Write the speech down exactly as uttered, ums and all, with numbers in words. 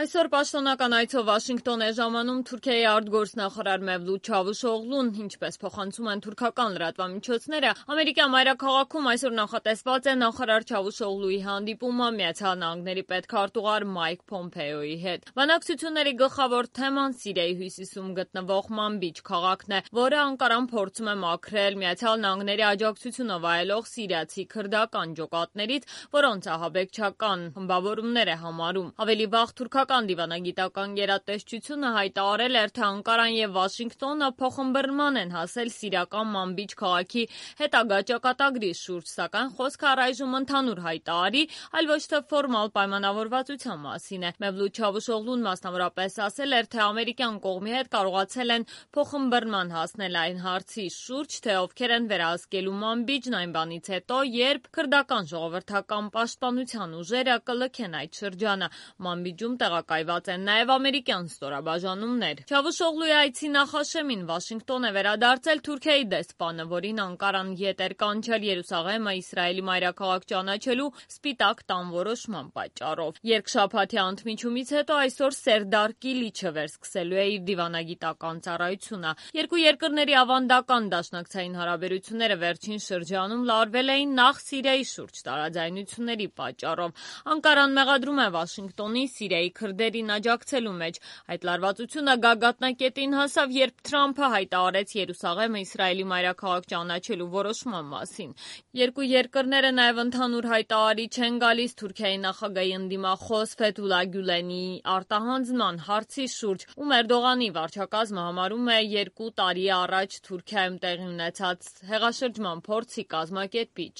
Այսօր պաշտոնական այցով Վաշինգտոն է ժամանում Թուրքիայի արտգործնախարար Մևլութ Չավուշօղլուն, ինչպես փոխանցում են թուրքական լրատվամիջոցները, ամերիկյան մայրաքաղաքում այսօր նախատեսված է նախարար Չավուշօղլուի հանդիպումը Միացյալ Նահանգների պետքարտուղար Մայք Փոմփեոյի հետ։ Բանակցությունների գլխավոր թեման Սիրիայի հյուսիսում գտնվող Մանբիջ քաղաքն է, որը Անկարան փորձում է մաքրել Միացյալ Նահանգների աջակցությունը վայելող սիրիացի քրդական ջոկատներից, որոնց ահաբեկչական խմբավորումներ է համարում։ Ավելի վաղ թուրքական դիվանագիտական գերատեսչությունը հայտարարել էր, թե Անկարան եւ Վաշինգտոնը փոխըմբռնման են հասել սիրիական Մանբիջ քաղաքի հետագա ճակատագրի շուրջ, սակայն խոսքը առայժմ ընդհանուր հայտարարի, այլ ոչ թե ֆորմալ պայմանավորվածության մասին է։ Մևլութ Չավուշօղլուն մասնավորապես ասել էր, թե ամերիկյան կողմի հետ կարողացել են փոխըմբռնման հասնել այն հարցի շուրջ, թե ովքեր են վերահսկելու Մանբիջն այն բանից հետո, երբ քրդական ժողովրդական պաշտպանության ուժերը կլքեն այդ շրջանը։ Մանբիջում տեղակայված են նաև ամերիկյան ստորաբաժանումներ։ Չավուշօղլուի այցի նախաշեմին Վաշինգտոն է վերադարձել Թուրքիայի դեսպանը, որին Անկարան ետ էր կանչել Երուսաղեմը Իսրայելի մայրաքաղաք ճանաչելու Սպիտակ տան որոշման պատճառով։ Երկշաբաթյա ընդմիջումից հետո այսօր Սերդար Կիլիչը վերսկսելու է իր դիվանագիտական ծառայությունը։ Երկու երկրների ավանդական դաշնակցային հարաբերությունները վերջին շրջանում լարվել էին նախ Սիրիայի շուրջ տարաձայնությունների պատճառով։ Անկարան մեղադրում է Վաշինգտոնի Սիրիայի քրդերին աջակցելու մեջ։ Այդ լարվածությունը գագաթնակետին հասավ, երբ Թրամփը հայտարարեց Երուսաղեմը Իսրայելի մայրաքաղաք ճանաչելու որոշման մասին։ Երկու երկրները նաև ընդհանուր հայտարարի չեն գալիս Թուրքիայի նախագահի ընդդիմախոս Ֆեթուլա Գյուլենի արտահանձնման հարցի շուրջ, ում Էրդողանի վարչակազմը համարում է երկու տարի առաջ Թուրքիայում տեղի ունեցած հեղաշրջման փորձի կազմակերպիչ։